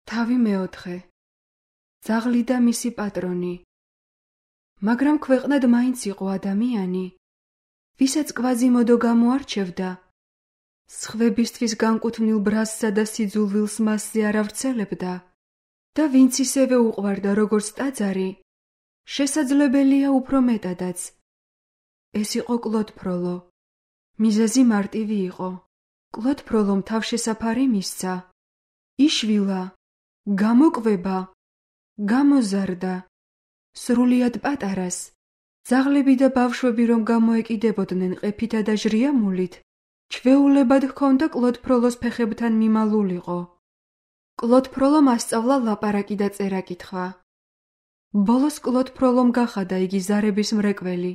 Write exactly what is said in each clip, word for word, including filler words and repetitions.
თავი მეოთხე. ძაღლი და მისი პატრონი. მაგრამ ქვეყნად მაინც იყო ადამიანი, ვისაც კვაზიმოდო გამოარჩევდა, სხვებისთვის განკუთვნილ ბრაზსა და სიძულვილს მასზე არ ავრცელებდა და ვინც ისევე უყვარდა როგორც ტაძარი, შესაძლებელია უფრო მეტადაც. ეს იყო კლოდ ფროლო. მიზეზი მარტივი იყო. კლოდ ფროლომ თავშესაფარი მისცა. იშვილა, გამოკვება, გამოზარდა. სრულიად პატარას, ძაღლები და ბავშვები რომ გამოეკიდებოდნენ ყეფითა და ჟრიამულით, ჩვეულებად ჰქონდა კლოდ ფროლოს ფეხებთან მიმალულიყო. კლოდ ფროლომ ასწავლა ლაპარაკი და წერა-კითხვა. ბოლოს კლოდ ფროლომ გახადა იგი ზარების მრეკველი.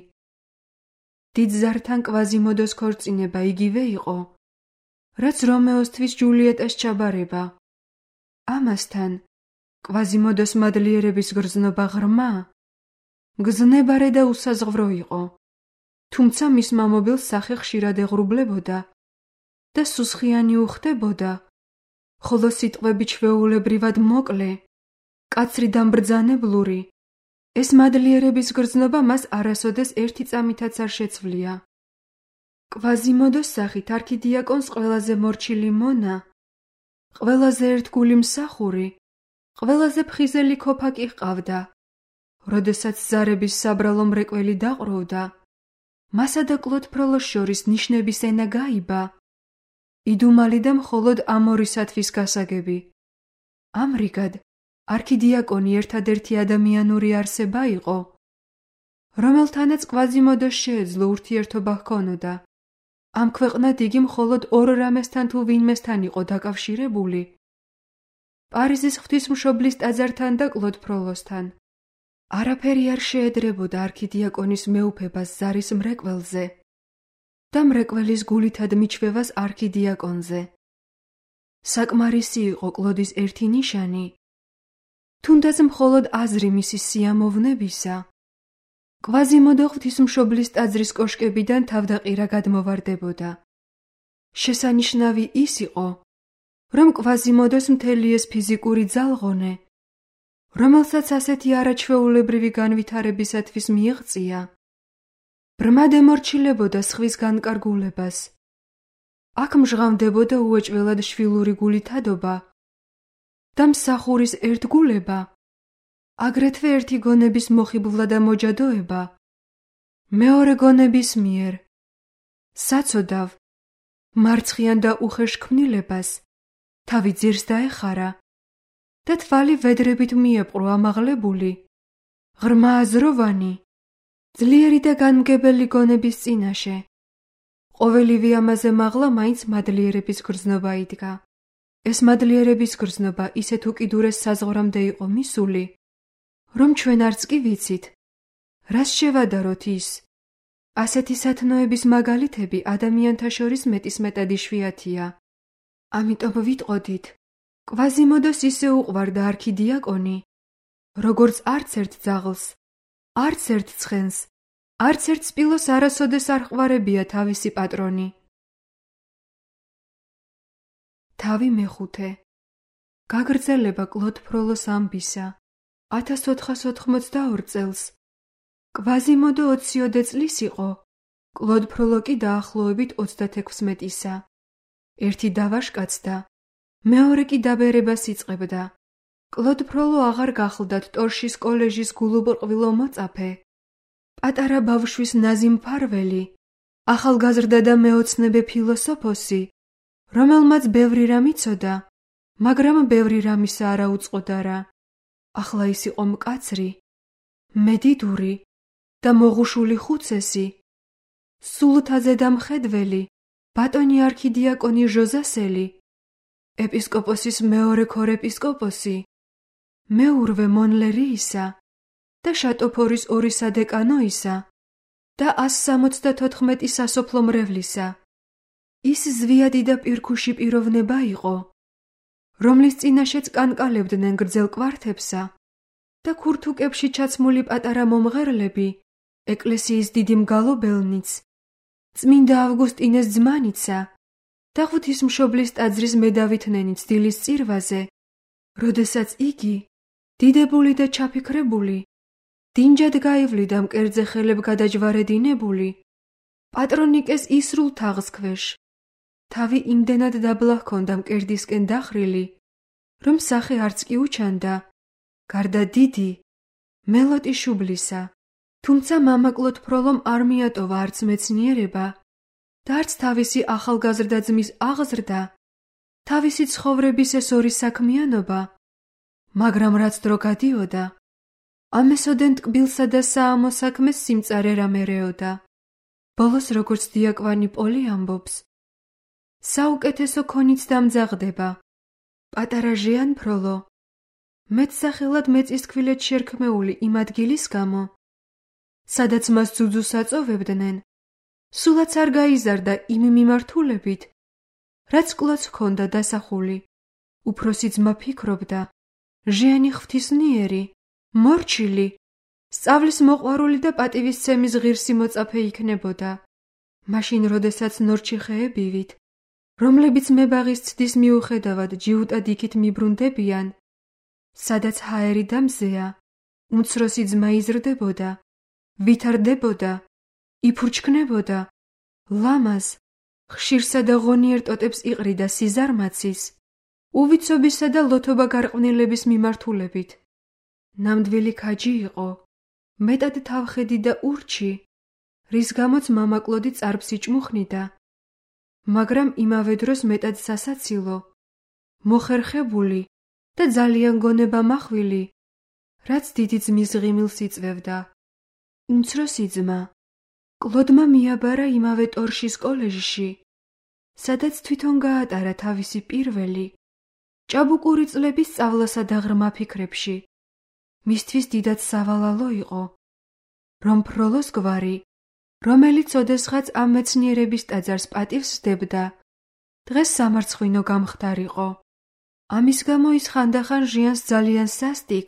დიდ ზართან კვაზიმოდოს ქორწინება იგივე იყო, რაც რომეოსთვის ჯულიეტას ჩაბარება. ამასთან, კვაზიმოდოს მადლიერების გრძნობა ღრმა, მგზნებარე და უსაზღვრო იყო, თუმცა მის მამობილს სახე ხშირად ეღრუბლებოდა და სუსხიანი უხდებოდა, ხოლო სიტყვები ჩვეულებრივად მოკლე, კაცრი და მბრძანებლური. ეს მადლიერების გრძნობა მას არასოდეს ერთი წამითაც არ შეცვლია. კვაზიმოდოს სახით არქიდიაკონს ყველაზე მორჩილი მონა, ყველაზე ერთგული მსახური, ყველაზე ფხიზელი ქოფაკი ჰყავდა. როდესაც ზარების საბრალო მრეკველი დაყროვდა, მასა და კლოდ ფროლოს შორის ნიშნების ენა გაიბა. იდუმალი და მხოლოდ ამ ორისათვის გასაგები. ამრიგად, არქიდიაკონი ერთადერთი ადამიანური არსება იყო, რომელთანაც კვაზიმოდოს შეეძლო ურთიერთობა ჰქონოდა. ამ ქვეყნად იგი მხოლოდ ორ რამესთან თუ ვინმესთან იყო დაკავშირებული: პარიზის ღვთისმშობლის ტაძართან და კლოდ ფროლოსთან. არაფერი არ შეედრებოდა არქიდიაკონის მეუფებას ზარის მრეკველზე და მრეკველის გულითად მიჩვევას არქიდიაკონზე. საკმარისი იყო კლოდის ერთი ნიშანი, თუნდაც მხოლოდ აზრი მისი სიამოვნებისა. კვაზიმოდო ღვთისმშობლის ტაძრის კოშკებიდან თავდაყირა გადმოვარდებოდა. შესანიშნავი ის იყო, რომ კვაზიმოდოს მთელი ეს ფიზიკური ძალღონე, რომელსაც ასეთი არაჩვეულებრივი განვითარებისათვის მიიღწია, ბრმად ემორჩილებოდა სხვის განკარგულებას. აქ მჟღავდებოდა უეჭველად შვილური გულითადობა და მსახურის ერთგულება, აგრეთვე ერთი გონების მოხიბლა და მოჯადოება მეორე გონების მიერ. საცოდავ, მარცხიან და უხეშ ქმნილებას თავი ძირს დაეხარა და თვალი ვედრებით მიეპყრო ამაღლებული, ღრმა აზროვანი, ძლიერი და განმგებელი გონების წინაშე. ყოველივე ამაზე მაღლა მაინც მადლიერების გრძნობა იდგა. ეს მადლიერების გრძნობა ისეთ უკიდურეს საზღვრამდე იყო მისული, რომ ჩვენ არც კი ვიცით, რას შევადაროთ ის. ასეთი სათნოების მაგალითები ადამიანთა შორის მეტისმეტად იშვიათია. ამიტომ ვიტყოდით, კვაზიმოდოს ისე უყვარდა არქიდიაკონი, როგორც არც ერთ ძაღლს, არც ერთ ცხენს, არც ერთ სპილოს არასოდეს არ ჰყვარებია თავისი პატრონი. თავი მეხუთე. გაგრძელება კლოდ ფროლოს ამბისა. ათას ოთხას ოთხმოცდაორ წელს. კვაზიმოდო ოციოდე წლის იყო, კლოდ ფროლო კი დაახლოებით ოცდათექვსმეტისა. ერთი დავაშკაცდა, მეორე კი დაბერებას იწყებდა. კლოდ ფროლო აღარ გახლდათ ტორშის კოლეჟის გულუბრყვილო მოწაფე, პატარა ბავშვის ნაზი მფარველი, ახალგაზრდა და მეოცნებე ფილოსოფოსი, რომელმაც ბევრი რამ იცოდა, მაგრამ ბევრი რამისა არ აუწყოდა რა. ახლა ის იყო მკაცრი, მედიდური და მოღუშული ხუცესი, სულთაზე და მხედველი, ბატონი არქიდიაკონი ჟოზასელი, ეპისკოპოსის მეორე ქორეპისკოპოსი, მეურვე მონლერიისა და შატოფორის ორი სადეკანოისა და ას სამოცდათოთხმეტი სასოფლო მრევლისა. ის ზვიადი და პირქუში პიროვნება იყო, რომლის წინაშეც კანკალებდნენ გრძელ კვართებსა და ქურთუკებში ჩაცმული პატარა მომღერლები, ეკლესიის დიდი მგალობელნიც, წმინდა ავგუსტინეს ძმანიცა და ღვთისმშობლის ტაძრის მედავითნენი ცდილის წირვაზე როდესაც იგი, დიდებული და ჩაფიქრებული, დინჯად გაივლიდა მკერდზე ხელებ გადაჯვარედინებული, პატრონიკეს ისრულ თაღს ქვეშ. თავი იმდენად დაბლა ჰქონდა მკერდისკენ დახრილი, რომ სახე არც კი უჩანდა, გარდა დიდი, მელოტი შუბლისა. თუმცა მამაკლოდ ფროლომ არ მიატოვა არც მეცნიერება და არც თავისი ახალგაზრდა ძმის აღზრდა, თავისი ცხოვრების ეს ორი საქმიანობა, მაგრამ რაც დრო გადიოდა, ამესოდენ ტკბილსა და საამო საქმეს სიმწარე რამერეოდა. ბოლოს როგორც დიაკვანი პოლი ამბობს, საუკეთესო ქონიც დამძაღდება, პატარა ჟიან ფროლო, მეტსახელად მეწისქვილეთ შერქმეული იმ ადგილის გამო, სადაც მას ძუძუს აწოვებდნენ, სულაც არ გაიზარდა იმ მიმართულებით, რაც კლოდს ჰქონდა დასახული. უფროსი ძმა ფიქრობდა, ჟიანი ღვთისმიერი, მორჩილი, სწავლის მოყვარული და პატივისცემის ღირსი მოწაფე იქნებოდა. მაშინ, როდესაც ნორჩიხეებივით, რომლებიც მებაღის ცდის მიუხედავად ჯიუტად იქით მიბრუნდებიან, სადაც ჰაერი და მზეა, უმცროსი ძმა იზრდებოდა, ვითარდებოდა, იფურჩქნებოდა, ლამაზ, ხშირსა და ღონიერ ტოტებს იყრიდა სიზარმაცის, უვიცობისა და ლოთობა გარყვნილების მიმართულებით. ნამდვილი ქაჯი იყო, მეტად თავხედი და ურჩი, რის გამოც მამაკლოდი წარბს იჭმუხნიდა, მაგრამ იმავე დროს მეტად სასაცილო, მოხერხებული და ძალიან გონება მახვილი, რაც დიდი ძმის ღიმილს იწვევდა. უმცროსი ძმა კლოდმა მიაბარა იმავე ტორშის კოლეჟში, სადაც თვითონ გაატარა თავისი პირველი, ჭაბუკური წლების სწავლასა და ღრმა ფიქრებში. მისთვის დიდად სავალალო იყო, რომ ფროლოს გვარი, რომელიც ოდესღაც ამ მეცნიერების ტაძარს პატივს სდებდა, დღეს სამარცხვინო გამხდარიყო. ამის გამო ის ხანდახან ჟიანს ძალიან სასტიკ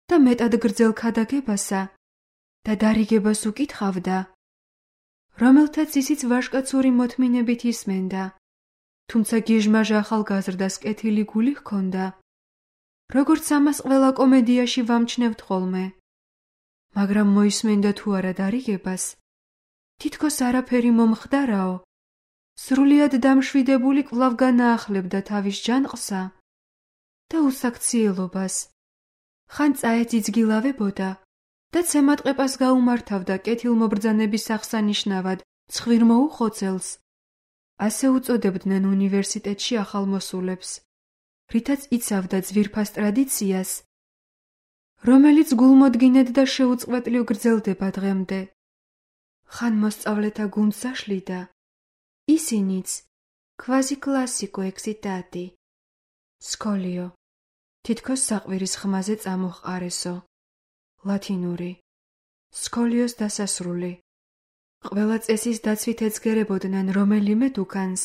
და მეტად გრძელ ქადაგებასა და დარიგებას უკითხავდა, რომელთაც ისიც ვაჟკაცური მოთმინებით ისმენდა, თუმცა გიჟმაჟ ახალგაზრდას კეთილი გული ჰქონდა, როგორც ამას ყველა კომედიაში ვამჩნევთ ხოლმე. მაგრამ მოისმენდა თუ არა დარიგებას, თითქოს არაფერი მომხდარაო, სრულიად დამშვიდებული კვლავ განაახლებდა თავის ჯანყსა და უსაქციელობას. ხან წაეძიძგილავებოდა და ცემატყეპას გაუმართავდა კეთილმობრძანების აღსანიშნავად ცხვირმოუხოცელს, ასე უწოდებდნენ უნივერსიტეტში ახალმოსულებს, რითაც იცავდა ძვირფას ტრადიციას, რომელიც გულმოდგინედ და შეუწყვეტლივ გრძელდება დღემდე. ხან მოსწავლეთა გუნდს აშლიდა, ისინიც ქვაზი კლასიკო ექსიტატი, სკოლიო, თითქოს საყვირის ხმაზე წამოჰყარესო, ლათინური, სკოლიოს დასასრული. ყველა წესის დაცვით ეცგერებოდნენ რომელიმე დუქანს,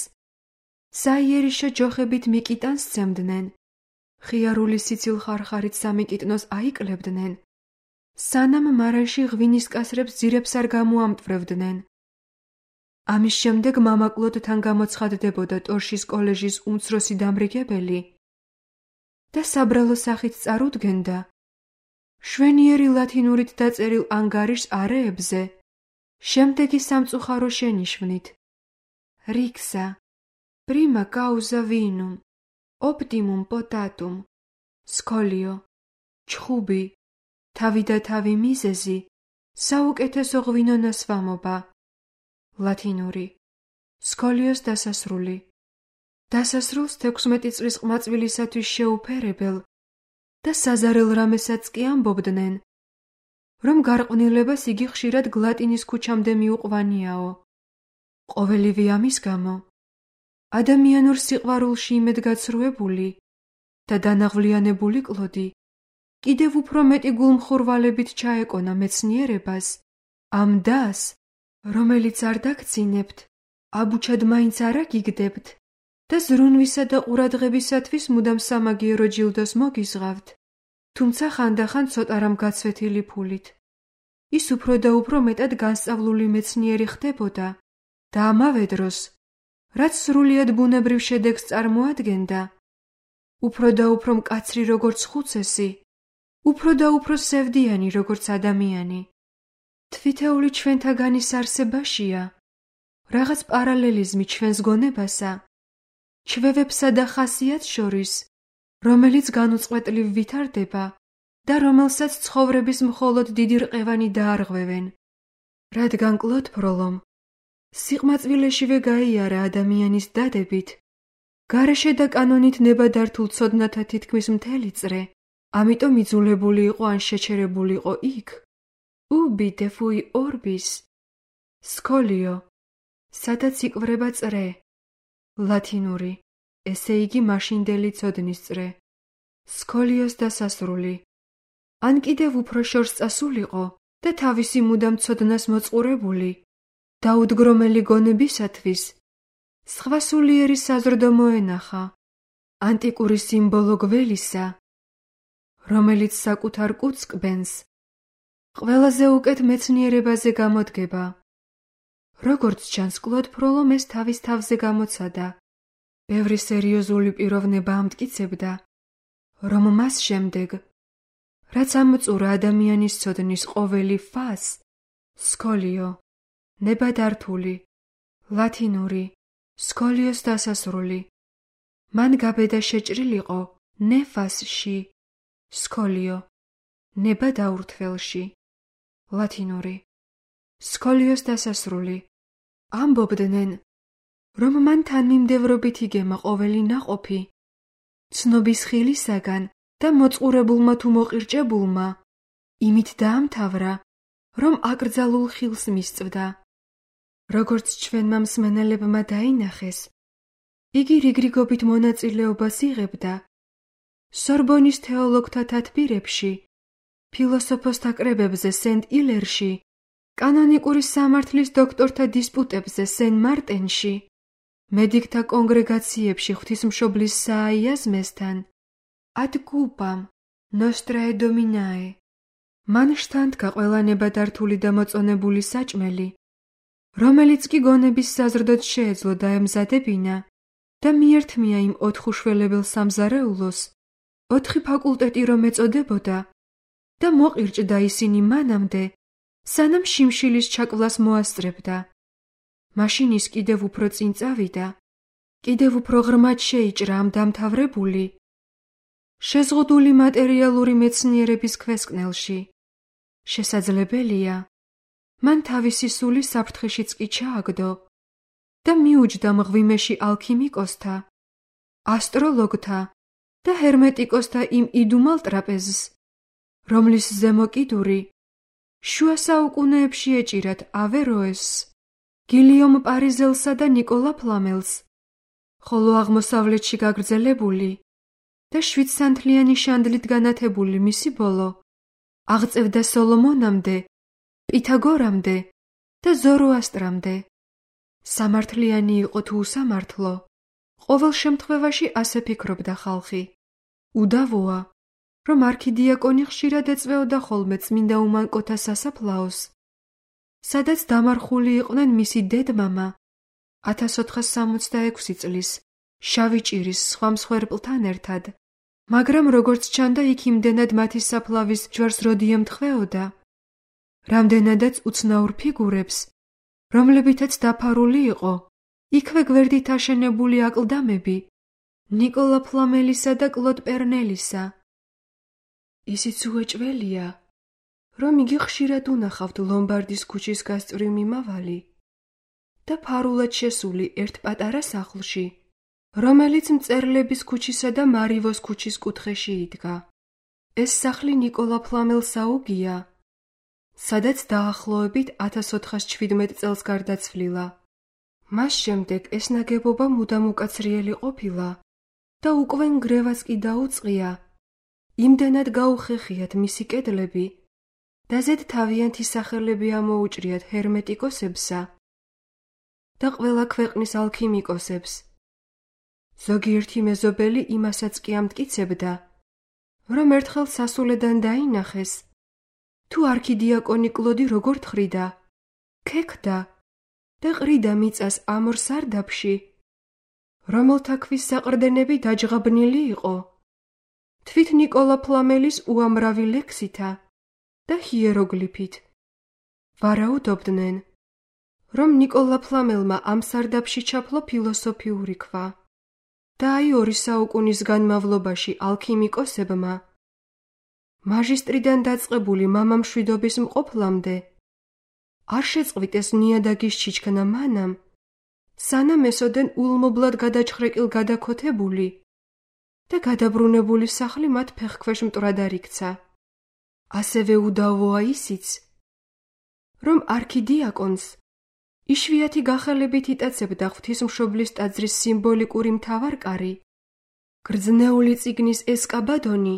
საიერიშო ჯოხებით მიკიტანს სცემდნენ, ხიარული სიცილ ხარხარით სამიკიტნოს აიკლებდნენ, სანამ მარანში ღვინის კასრებს ძირებს არ გამოამტვრევდნენ. ამის შემდეგ მამაკლოდთან გამოცხადდებოდა ტორშის კოლეჟის უმცროსი დამრიგებელი და საბრალო სახით წარუდგენდა შვენიერი ლათინურით დაწერილ ანგარიშს არეებზე შემდეგი სამწუხარო შენიშვნით: რიქსა, პრიმა კაუზა ვინუმ, ოპტიმუმ პოტატუმ, სკოლიო, ჩხუბი, თავი და თავი მიზეზი, საუკეთესო ღვინო ნასვამობა. ლათინური, სკოლიოს დასასრული. დასასრულს თექვსმეტი წლის ყმაწვილისათვის შეუფერებელ და საზარელ რამესაც კი ამბობდნენ, რომ გარყვნილებას იგი ხშირად გლატინის ქუჩამდე მიუყვანიაო. ყოველივე ამის გამო, ადამიანურ სიყვარულში იმედგაცრუებული და დანაღვლიანებული კლოდი კიდევ უფრო მეტი გულმხურვალებით ჩაეკონა მეცნიერებას, ამ დას, რომელიც არ დაგცინებთ, აბუჩად მაინც არ აგიგდებთ და ზრუნვისა და ყურადღებისათვის მუდამ სამაგიერო ჯილდოს მოგიზღავთ, თუმცა ხანდახან ცოტა რამ გაცვეთილი ფულით. ის უფრო და უფრო მეტად განსწავლული მეცნიერი ხდებოდა და ამავე დროს, რაც სრულიად ბუნებრივ შედეგს წარმოადგენდა, უფრო და უფრო მკაცრი როგორც ხუცესი, უფრო და უფრო სევდიანი როგორც ადამიანი. თვითეული ჩვენთაგანის არსებაშია, რაღაც პარალელიზმი ჩვენს გონებასა, ჩვევებსა და ხასიათს შორის, რომელიც განუწყვეტლივ ვითარდება და რომელსაც ცხოვრების მხოლოდ დიდი რყევანი დაარღვევენ. რადგან კლოდ ფროლომ სიყმაწვილეშივე გაიარა ადამიანის დადებით, გარეშე და კანონით ნებადართულ ცოდნათა თითქმის მთელი წრე, ამიტომ იძულებული იყო ან შეჩერებული იყო იქ, ubi de fui orbis, სკოლიო, სადაც იკვრება წრე, ლათინური, ესე იგი მაშინდელი ცოდნის წრე, სკოლიოს დასასრული, ან კიდევ უფრო შორს წასულიყო და თავისი მუდამ ცოდნას მოწყურებული, დაუდგრომელი გონებისათვის, სხვა სულიერი საზრდო მოენახა, ანტიკური სიმბოლო გველისა, რომელიც საკუთარ კუც კბენს, ყველაზე უკეთ მეცნიერებაზე გამოდგება. როგორც ჩანს, კლოდ ფროლომ ეს თავის თავზე გამოცადა. ბევრი სერიოზული პიროვნება ამტკიცებდა, რომ მას შემდეგ, რაც ამოწურა ადამიანის ცოდნის ყოველი ფას, სკოლიო, ნებადართული, ლათინური, სკოლიოს დასასრული, მან გაბედა შეჭრილიყო ნეფასში, სკოლიო, ნება დაურთველში, ლათინური, სკოლიოს დასასრული. ამბობდნენ, რომ მან თანმიმდევრობით იგემა ყოველი ნაყოფი, ცნობის ხილისაგან და მოწყურებულმა თუ მოყირჭებულმა, იმით დაამთავრა, რომ აკრძალულ ხილს მისწვდა. როგორც ჩვენმა მსმენელებმა დაინახეს, იგი რიგრიგობით მონაწილეობას იღებდა სორბონის თეოლოგთა თათბირებში, ფილოსოფოსთა კრებებზე სენტ-ილერში, კანონიკური სამართლის დოქტორთა დისპუტებზე სენ-მარტენში, მედიკთა კონგრეგაციებში ღვთისმშობლის სააიაზმესთან, ad cupam nostrae dominae. მან შთანთქა ყველა ნებადართული და მოწონებული საჭმელი, რომელიც კი გონების საზრდოდ შეეძლო დაემზადებინა და მიერთმია იმ ოთხ უშველებელ სამზარეულოს, ოთხი ფაკულტეტი რომ ეწოდებოდა და მოყირჭდა ისინი მანამდე, სანამ შიმშილის ჩაკვлас მოასწრებდა. მაშინ ის კიდევ უფრო წინ წავიდა, კიდევ უფრო ღრმად შეიჭრა ამ დამთავრებული, შეზღუდული მატერიალური მეცნიერების ქვესკნელში. შესაძლებელია, მან თავისი სული საფრთხეშიც კი ჩააგდო და მიუჯდა მღვიმეში ალქიმიკოსთა, ასტროლოგთა და ჰერმეტიკოსთა იმ იდუმალ ტრაპეზს, რომლის ზემო კიდური შუა საუკუნეებში ეჭირათ ავეროესს, გილიომ პარიზელსა და ნიკოლა ფლამელს, ხოლო აღმოსავლეთში გაგრძელებული და შვიდსანთლიანი შანდლით განათებული მისი ბოლო აღწევდა სოლომონამდე, პითაგორამდე და ზოროასტრამდე. სამართლიანი იყო თუ უსამართლო, ყოველ შემთხვევაში ასე ფიქრობდა ხალხი. უდავოა, რომ არქიდიაკონი ხშირად ეწვეოდა ხოლმე წმინდა უმანკოთა სასაფლაოს, სადაც დამარხული იყვნენ მისი დედმამა ათას ოთხას სამოცდაექვსი წლის შავი ჭირის სხვა მსხვერპლთან ერთად, მაგრამ როგორც ჩანდა, იქ იმდენად მათი საფლავის ჯვარს როდი ემთხვეოდა, რამდენადაც უცნაურ ფიგურებს, რომლებითაც დაფარული იყო იქვე გვერდით აშენებული აკლდამები ნიკოლა ფლამელისა და კლოდ პერნელისა. ისიც უეჭველია, რომ იგი ხშირად უნახავთ ლომბარდის ქუჩის გასწვრივ მიმავალი და ფარულად შესული ერთ პატარა სახლში, რომელიც მწერლების ქუჩისა და მარივოს ქუჩის კუთხეში იდგა. ეს სახლი ნიკოლა ფლამელს აუგია, სადაც დაახლოებით ათას ოთხას შვიდმეტ წელს გარდაცვლილა. მას შემდეგ ეს ნაგებობა მუდამ უკაცრიელი ყოფილა და უკვე ნგრევაც კი დაუწყია, იმდენად გაუხეხიათ მისი კედლები და ზედ თავიანთი სახელები ამოუჭრიათ ჰერმეტიკოსებსა და ყველა ქვეყნის ალქიმიკოსებს. ზოგიერთი მეზობელი იმასაც კი ამტკიცებდა, რომ ერთხელ სასულედან დაინახეს, თუ არქიდიაკონი კლოდი როგორ თხრიდა, ქექდა და ყრიდა მიწას ამორ სარდაფში, რომელთა ქვის საყრდენები დაჯღაბნილი იყო თვით ნიკოლა ფლამელის უამრავი ლექსითა და ჰიეროგლიფით. ვარაუდობდნენ, რომ ნიკოლა ფლამელმა ამ სარდაფში ჩაფლო ფილოსოფიური ქვა და აი ორი საუკუნის განმავლობაში ალქიმიკოსებმა მაჟისტრიდან დაწყებული მამამშვიდობის მყოფლამდე არ შეწყვიტეს ნიადაგის ჩიჩქნა მანამ, სანამ ესოდენ ულმობლად გადაჩხრეკილ გადაქოთებული და გადაბრუნებული სახლი მათ ფეხქვეშ მტრად არ იქცა. ასევე უდავოა ისიც, რომ არქიდიაკონს იშვიათი გახელებით იტაცებდა ღვთისმშობლის ტაძრის სიმბოლიკური მთავარკარი, გრძნეული წიგნის ესკაბადონი,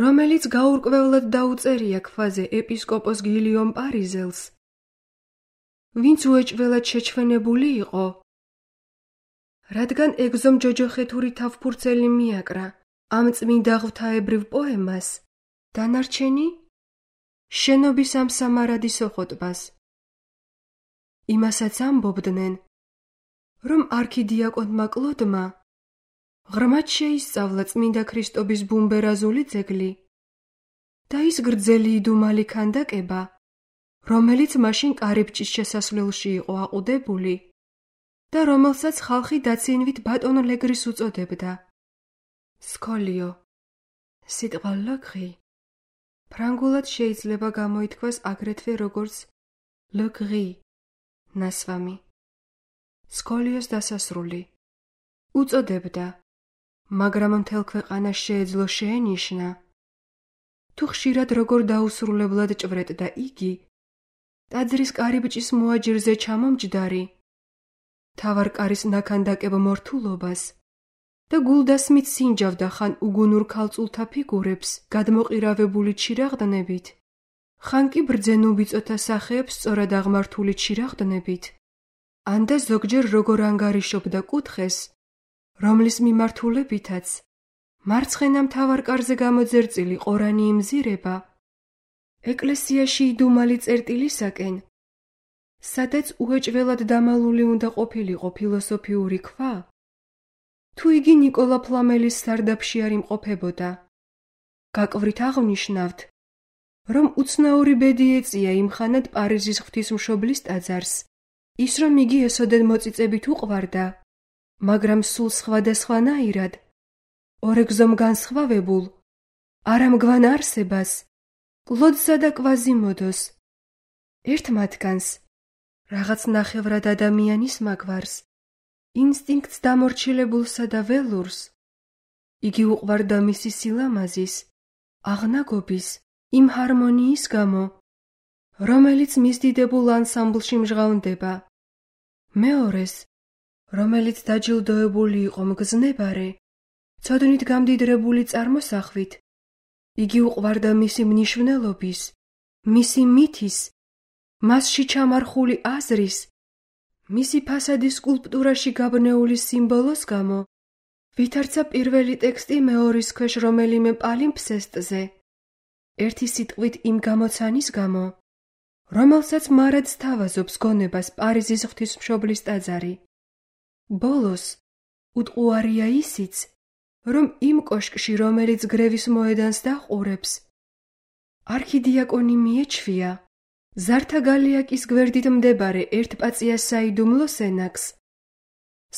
რომელიც გაურკვევლად დაუწერია ქვაზე ეპისკოპოს გილიომ პარიზელს, ვინც უეჭველად შეჩვენებული იყო, რადგან ეგზომ ჯოჯოხეთური თავფურცელი მიაკრა ამ წმინდა ღვთაებრივ პოემას, დანარჩენი შენობის ამ სამარადისო ხოტბას. იმასაც ამბობდნენ, რომ არქიდიაკონმა კლოდმა ღრმად შეისწავლა წმინდა ქრისტობის ბუმბერაზული ძეგლი და ის გრძელი იდუმალი ქანდაკება, რომელიც მაშინ კარიბჭის შესასვლელში იყო აყუდებული და რომელსაც ხალხი დაცინვით ბატონ ლეგრის უწოდებდა. სკოლიო, სიტყვა ლოგრი ფრანგულად შეიძლება გამოითქვას აგრეთვე როგორც ლოგრი, ნასვამი. სკოლიოს დასასრული უწოდებდა, მაგრამ მთელ ქვეყანას შეეძლო შეენიშნა, თუ ხშირად როგორ დაუსრულებლად ჭვრეტდა იგი ტაძრის კარიბჭის მოაჯირზე ჩამომჯდარი, მთავარკარის ნაქანდაკებ მორთულობას და გულდასმით სინჯავდა ხან უგუნურ ქალწულთა ფიგურებს გადმოყირავებული ჩირაღდნებით, ხან კი ბრძენ უბიწოთა სახეებს სწორად აღმართული ჩირაღდნებით, ან და ზოგჯერ როგორ ანგარიშობდა კუთხეს, რომლის მიმართულებითაც მარცხენა მთავარკარზე გამოძერწილი ყორანი იმზირება ეკლესიაში იდუმალი წერტილისაკენ, სადაც უეჭველად დამალული უნდა ყოფილიყო ფილოსოფიური ქვა, თუ იგი ნიკოლა ფლამელის სარდაფში არ იმყოფებოდა. გაკვვრით აღვნიშნავთ, რომ უცნაური ბედი ეწია იმხანად პარიზის ღვთისმშობლის ტაძარს, ის რომ იგი ესოდენ მოწიწებით უყვარდა, მაგრამ სულ სხვადასხვანაირად, ორეგზომ განსხვავებულ, არამგვან არსებას, კლოდსა და კვაზიმოდოს, ერთ მათგანს, რაღაც ნახევრად ადამიანის მაგვარს, ინსტინქტს დამორჩილებულსა და ველურს, იგი უყვარდა მისი სილამაზის, აღნაგობის, იმ ჰარმონიის გამო, რომელიც მისდიდებულ ანსამბლში მჟღავნდება. მეორეს, რომელიც დაჯილდოებული იყო მგზნებარე, ცოდნით გამდიდრებული წარმოსახვით, იგი უყვარდა მისი მნიშვნელობის, მისი მითის, მასში ჩამარხული აზრის, მისი ფასადის სკულპტურაში გაბნეული სიმბოლოს გამო, ვითარცა პირველი ტექსტი მეორის ქვეშ რომელიმე პალიმფსესტზე, ერთი სიტყვით იმ გამოცანის გამო, რომელსაც მარად სთავაზობს გონებას პარიზის ღვთისმშობლის ტაძარი. ბოლოს, უტყუარია ისიც, რომ იმ კოშკში, რომელიც გრევის მოედანს დაჰყურებს, არქიდიაკონი მიეჩვია ზართა გალიაკის გვერდით მდებარე ერთპაწია საიდუმლო სენაკს,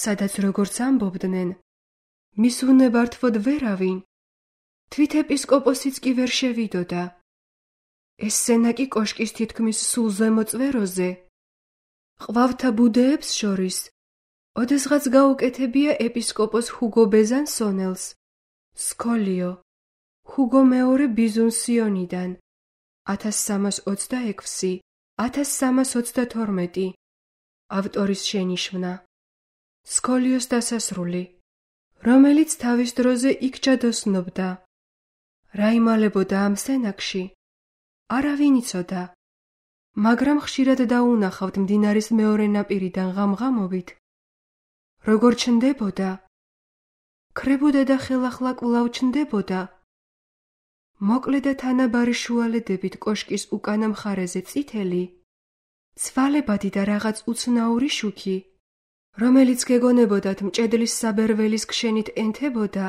სადაც როგორც ამბობდნენ, მის უნებართვოდ ვერავინ, თვით ეპისკოპოსიც კი ვერ შევიდოდა. ეს სენაკი კოშკის თითქმის სულ ზემო წვეროზე, ყვავთა ბუდეებს შორის, ოდესღაც გაუკეთებია ეპისკოპოს ჰუგო ბეზანსონელს, სკოლიო, ჰუგო მეორე ბიზუნსიონიდან, ათას სამას ოცდაექვსი ათას სამას ოცდათორმეტი, ავტორის შენიშვნა. სკოლიოს დასასრული, რომელიც თავის დროზე იქ ჯადოსნობდა. რა იმალებოდა ამ სენაკში? არავინ იცოდა, მაგრამ ხშირად დაუნახავთ მდინარის მეორე ნაპირიდან ღამღამობით, როგორ ჩნდებოდა, ქრებოდა და ხელახლა კვლავ ჩნდებოდა, მოკლე და თანაბარი შუალედებით კოშკის უკანა მხარეზე წითელი, ცვალებადი და რაღაც უცნაური შუქი, რომელიც გეგონებოდათ მჭედლის საბერველის ქშენით ენთებოდა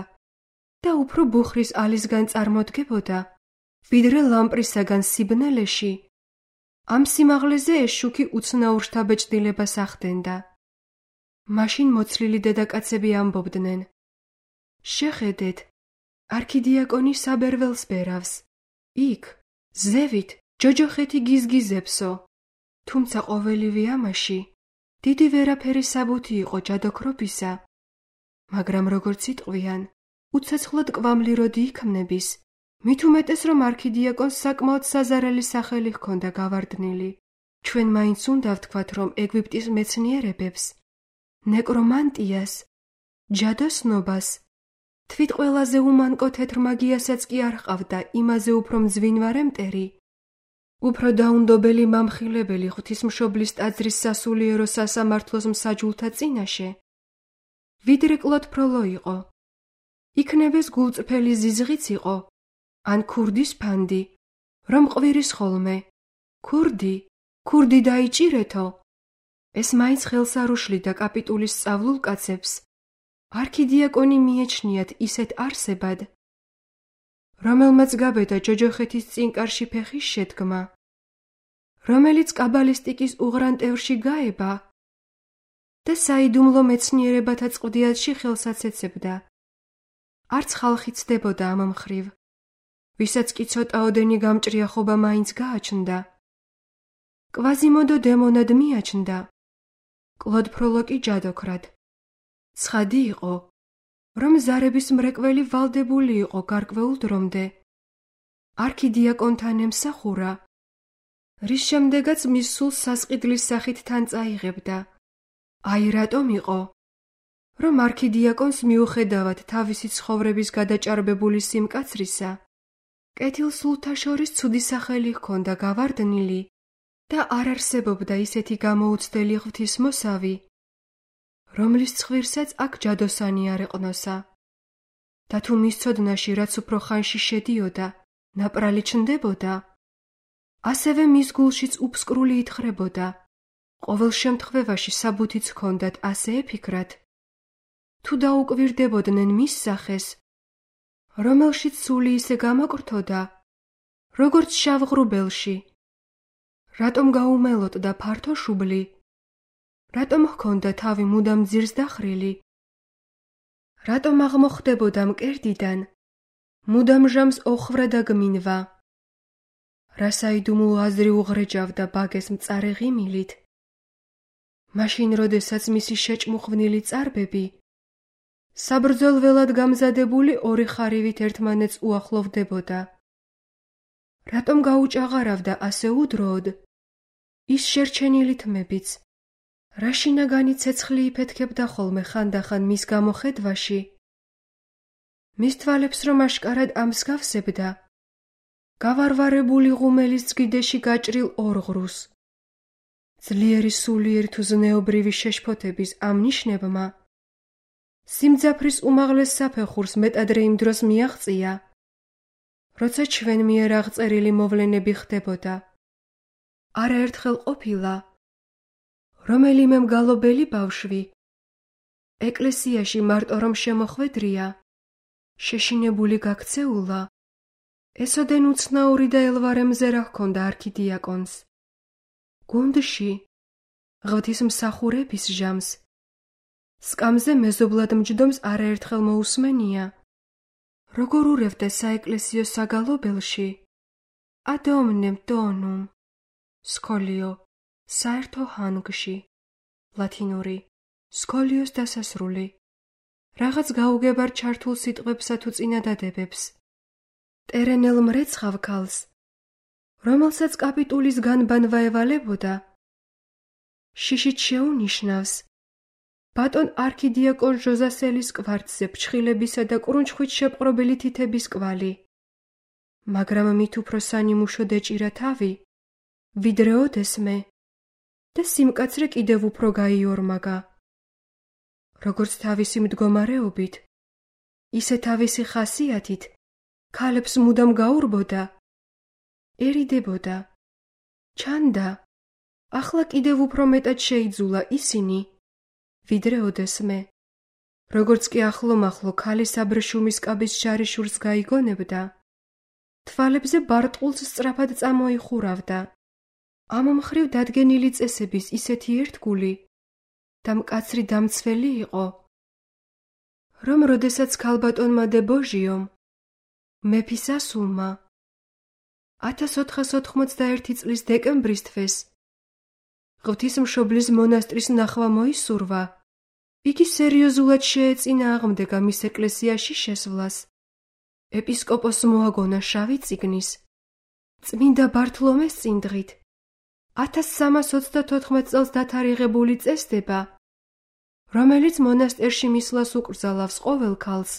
და უფრო ბუხრის ალისგან წარმოდგებოდა, ვიდრე ლამპრისაგან სიბნელეში. ამ სიმაღლეზე ეს შუქი უცნაურ შთაბეჭდილებას ახდენდა. მაშინ მოცლილი დედაკაცები ამბობდნენ: შეხედეთ, არქიდიაკონი საბერველს ბერავს. იქ, ზევით, ჯოჯოხეთი გიზგიზებსო. თუმცა ყოველივე ამაში დიდი ვერაფერი საბუთი იყო ჯადოქრობისა. მაგრამ როგორც იტყვიან, უცეცხლად კვამლი როდი იქმნების, მით უმეტეს რომ არქიდიაკონს საკმაოდ საზარელი სახელი ჰქონდა გავარდნილი. ჩვენ მაინც უნდა ვთქვათ, რომ ეგვიპტის მეცნიერებებს, ნეკრომანტიას, ჯადოსნობას, თვით ყველაზე უმანკო თეთრ მაგიასაც კი არ ჰყავდა იმაზე უფრო მძვინვარე მტერი, უფრო დაუნდობელი მამხილებელი ღვთისმშობლის ტაძრის სასულიერო სასამართლოს მსაჯულთა წინაშე, ვიდრე კლოდ ფროლო იყო. იქნებეს გულწრფელი ზიზღიც იყო, ან ქურდის ფანდი, რომ ყვირის ხოლმე. ქურდი, ქურდი დაიჭირეთო. ეს მაინც ხელს არ უშლიდა კაპიტულის სწავლულ კაცებს. არქიდიაკონი მიეჩნიათ ისეთ არსებად, რომელმაც გაბედა ჯოჯოხეთის წინკარში ფეხის შედგმა, რომელიც კაბალისტიკის უღრანტევრში გაება და საიდუმლო მეცნიერებათა წყდიათში ხელსაც ეცებდა. არც ხალხი ცდებოდა ამ მხრივ, ვისაც კი ცოტაოდენი გამჭრიახობა მაინც გააჩნდა. კვაზიმოდო დემონად მიაჩნდა, კლოდ ფროლო კი ჯადოქრად. ცხადი იყო, რომ ზარების მრეკველი ვალდებული იყო გარკვეულ დრომდე. არქიდიაკონთან ემსახურა, რის შემდეგაც მის სულს სასყიდლის სახით თან წაიღებდა. აი რატომ იყო, რომ არქიდიაკონს მიუხედავად თავისი ცხოვრების გადაჭარბებული სიმკაცრისა, კეთილსულთა შორის ცუდი სახელი ჰქონდა გავარდნილი და არ არსებობდა ისეთი გამოუცდელი ღვთისმოსავი, რომლის ცხვირსაც აქ ჯადოსანი არ ეყნოსა. და თუ მის ცოდნაში რაც უფრო ხანში შედიოდა, ნაპრალი ჩნდებოდა, ასევე მის გულშიც უფსკრული ითხრებოდა. ყოველ შემთხვევაში საბუთიც ჰქონდათ ასე ეფიქრათ, თუ დაუკვირდებოდნენ მის სახეს, რომელშიც სული ისე გამოკრთოდა, როგორც შავ ღრუბელში. რატომ გაუმელოტდა ფართო შუბლი? რატომ ჰქონდა თავი მუდამ ძირს დახრილი? რატომ აღმოხდებოდა მკერდიდან, მუდამ ჟამს ოხრა და გმინვა? რა საიდუმლო აზრი უღრეჯავდა ბაგეს მწარე ღიმილით? მაშინ, როდესაც მისი შეჭმუხვნილი წარბები, საბრძოლველად გამზადებული ორი ხარივით ერთმანეთს უახლოვდებოდა. რატომ გაუჭაღარავდა ასე უდროოდ ის შერჩენილი თმებიც, რა შინაგანი ცეცხლი იფეთქებდა ხოლმე ხანდახან მის გამოხედვაში? მის თვალებს რომ აშკარად ამსგავსებდა, გავარვარებული ღუმელის წგიდეში გაჭრილ ორღრუს. ძლიერი სულიერი თუ ზნეობრივი შეშფოთების ამ ნიშნებმა სიმძაფრის უმაღლეს საფეხურს მეტადრე იმ დროს მიაღწია, როცა ჩვენ მიერ აღწერილი მოვლენები ხდებოდა. არაერთხელ ყოფილა, რომელიმე მგალობელი ბავშვი, ეკლესიაში მარტო რომ შემოხვედრია, შეშინებული გაქცეულა, ესოდენ უცნაური და ელვარე მზერა ჰქონდა არქიდიაკონს. გუნდში, ღვთისმსახურების ჟამს, სკამზე მეზობლად მჯდომს არაერთხელ მოусმენია, როგორ ურევდა საეკლესიო საგალობელში, ადომნემ დონუმ, სკოლიო, საერთო ჰანგში, ლათინური, სკოლიოს დასასრული, რაღაც გაუგებარ ჩართულ სიტყვებსა თუ წინადადებებს, ტერენელ მრეცხავ ქალს, რომელსაც კაპიტულის განბანვა ევალებოდა, შიშით შეუნიშნავს, ბატონ არქიდიაკონ ჟოზასელის კვართზე ფრჩხილებისა და კრუნჩხვით შეპყრობილი თითების კვალი, მაგრამ მით უფრო სანიმუშო ეჭირა თავი, ვიდრე ოდესმე და სიმკაცრე კიდევ უფრო გაიორმაგა. როგორც თავისი მდგომარეობით, ისე თავისი ხასიათით, ქალებს მუდამ გაურბოდა, ერიდებოდა, ჩანდა, ახლა კიდევ უფრო მეტად შეიძულა ისინი, ვიდრე ოდესმე. როგორც კი ახლო-მახლო ქალის აბრეშუმის კაბის შარიშურს გაიგონებდა, თვალებზე ბარტყულს სწრაფად წამოიხურავდა. ამ მხრივ დადგენილი წესების ისეთი ერთგული და მკაცრი დამცველი იყო, რომ როდესაც ქალბატონმა დე ბოჟიომ, მეფის ასულმა, ათას ოთხას ოთხმოცდაერთი წლის დეკემბრის თვეს ღვთისმშობლის მონასტრის ნახვა მოისურვა, იგი სერიოზულად შეეწინააღმდეგა მის ეკლესიაში შესვლას. ეპისკოპოსს მოაგონა შავი წიგნის, წმინდა ბართლომეს წინდღით, ათას სამას ოცდათოთხმეტ წელს დათარიღებული წესდება, რომელიც მონასტერში მისვლას უკრძალავს ყოველ ქალს,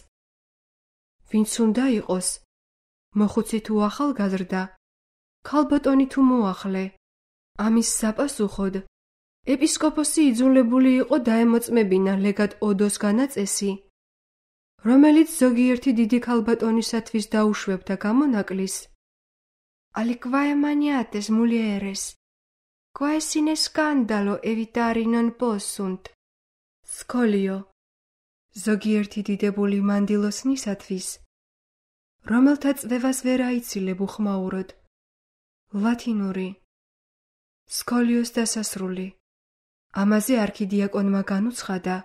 ვინც უნდა იყოს, მოხუცი თუ ახალგაზრდა, ქალბატონი თუ მოახლე. ამის საპასუხოდ ეპისკოპოსი იძულებული იყო დაემოწმებინა ლეგატ ოდოს განაწესი, რომელიც ზოგიერთი დიდი ქალბატონისათვის დაუშვებდა გამონაკლის. Al quae maniates mulieres, quae sine scandalo evitari non possunt. სკოლიო, ზოგიერთი დიდებული მანდილოსნისათვის, რომელთა წვევას ვერ აიცილებ უხმაუროდ. ლათინური. სკოლიოს დასასრული. ამაზე არქიდიაკონმა განუცხადა,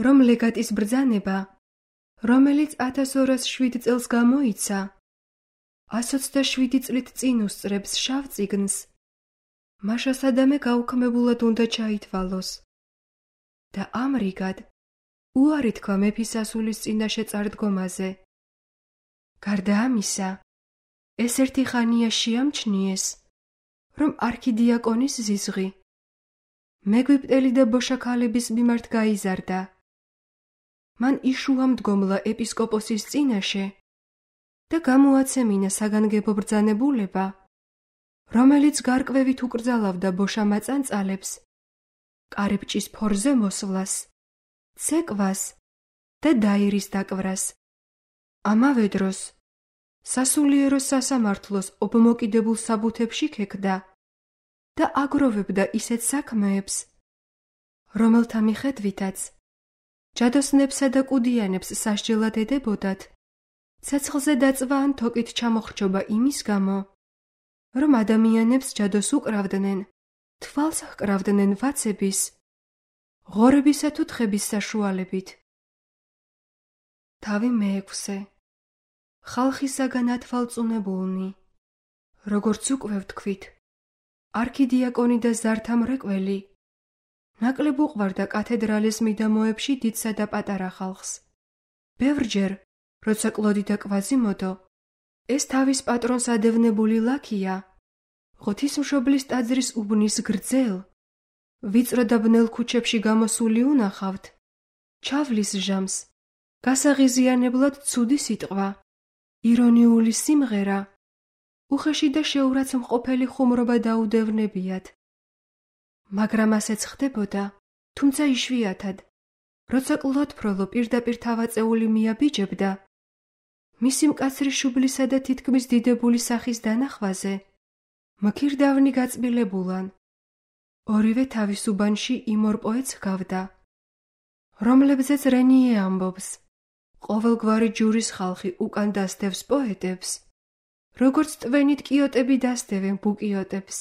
რომ ლეგატის ბრძანება, რომელიც ათას ორას შვიდ წელს გამოიცა, ას ოცდაშვიდი წლით წინ უსწრებს შავ წიგნს, მაშა სადამე გაუქმებულად უნდა ჩაითვალოს. და ამრიგად უარი თქვა მეფის ასულის წინაშე წარდგომაზე. გარდა ამისა, ეს ერთი ხანია შეამჩნიეს, რომ არქიდიაკონის ზიზღი მეგვიპტელი და ბოშაქალების მიმართ გაიზარდა. მან იშუა მდგომლა ეპისკოპოსის წინაშე და გამოაცემინა საგანგებო ბრძანებულება, რომელიც გარკვევით უკრძალავდა ბოშამაწანწალებს, კარიბჭის ფორზე მოსვლას, ცეკვას და დაირის დაკვრას. ამავე დროს სასულიერო სასამართლოს ობმოკიდებულ საბუთებში ქექდა და აგროვებდა ისეთ საქმეებს, რომელთა მიხედვითაც ჯადოსნებსა და კუდიანებს სასჯელად ედებოდათ ცეცხლზე დაწვა ან თოკით ჩამოხრჩობა იმის გამო, რომ ადამიანებს ჯადოს უკრავდნენ, თვალს ჰკრავდნენ ვაცების, ღორებისა თუ თხების საშუალებით. თავი მეექვსე. ხალხისაგან ათვალწუნებულნი. როგორც უკვე ვთქვით, არქიდიაკონი და ზართა მრეკველი ნაკლებ უყვარდა კათედრალის მიდამოებში დიდსა და პატარა ხალხს. ბევრჯერ, როცა კლოდი და კვაზიმოდო, ეს თავის პატრონს ადევნებული ლაქია, ღვთისმშობლის ტაძრის უბნის გრძელ, ვიწრო და ბნელ ქუჩებში გამოსული უნახავთ, ჩავლის ჟამს, გასაღიზიანებლად ცუდი სიტყვა, ირონიული სიმღერა, უხეში და შეურაცმყოფელი ხუმრობა დაუდევნებიათ. მაგრამ ასეც ხდებოდა, თუმცა იშვიათად, როცა კლოდფროლო პირდაპირ თავაწეული მიაბიჯებდა, მისი მკაცრი შუბლისა და თითქმის დიდებული სახის დანახვაზე, მქირდავნი გაწბილებულან, ორივე თავის უბანში იმ ორ პოეტს ჰგავდა, რომლებზეც რენიე ამბობს, ყოველგვარი ჯურის ხალხი უკან დასდევს პოეტებს, როგორც ტვენით კიოტები დასდევენ ბუკიოტებს.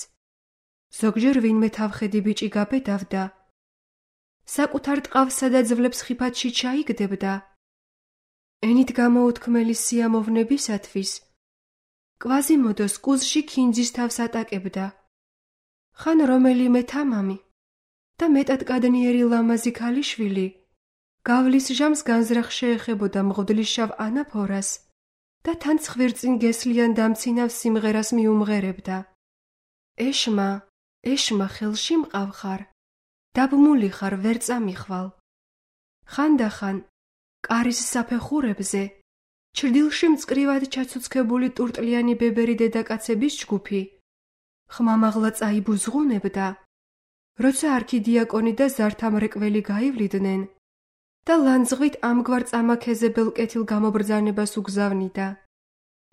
ზოგჯერ ვინმე თავხედი ბიჭი გაბედავდა, საკუთარ ტყავსა და ძვლებს ხიფათში ჩაიგდებდა, ენით გამოუთქმელი სიამოვნებისათვის, კვაზიმოდოს კუზში ქინძის თავს ატაკებდა, ხან რომელიმე თამამი და მეტად კადნიერი ლამაზი ქალიშვილი გავლის ჟამს განზრახ შეეხებოდა მღვდლის შავ ანაფორას და თან ცხვირწინ გესლიან დამცინავ სიმღერას მიუმღერებდა. ეშმა, ეშმა ხელში მყავხარ, დაბმული ხარ ვერ წამიხვალ. ხანდახან, კარის საფეხურებზე, ჩრდილში მწკრივად ჩაცუცქებული ტურტლიანი ბებერი დედაკაცების ჯგუფი, ხმამაღლა წაიბუზღუნებდა, როცა არქიდიაკონი და ზართა მრეკველი გაივლიდნენ და ლანძღვით ამგვარ წამაქეზებელ კეთილ გამობრძანებას უგზავნიდა.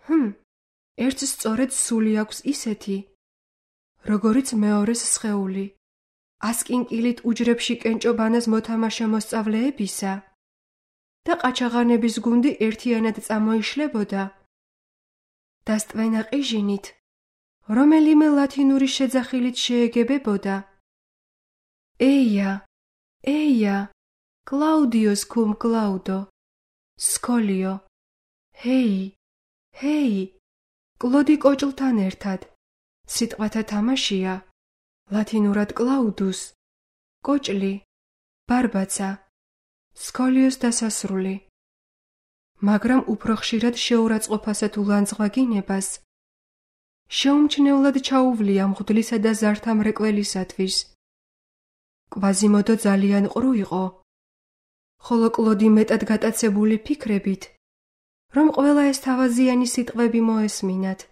ჰმ, ერთს სწორედ სული აქვს ისეთი, როგორიც მეორეს სხეული, ასკინკილით უჯრებში კენჭობანას მოთამაშე მოსწავლეებისა, და ყაჩაღანების გუნდი ერთიანად წამოიშლებოდა. დასტვენა ყიჟინით, რომელიმე ლათინური შეძახილით შეეგებებოდა. ეია, ეია, კლაუდიოს კუმ კლაუდო, სკოლიო, ჰეი, ჰეი, კლოდი კოჭლთან ერთად. სიტყვათა თამაშია, ლათინურად კლაუდუს, კოჭლი, ბარბაცა, სკოლიოს დასასრული. მაგრამ უფრო ხშირად შეურაცხყოფასა თუ ლანძღვაგინებას შეუმჩნევლად ჩაუვლია მღვდლისა და ზართა მრეკველისათვის. კვაზიმოდო ძალიან ყრუ იყო, ხოლო კლოდი მეტად გატაცებული ფიქრებით, რომ ყველა ეს თავაზიანი სიტყვები მოესმინათ.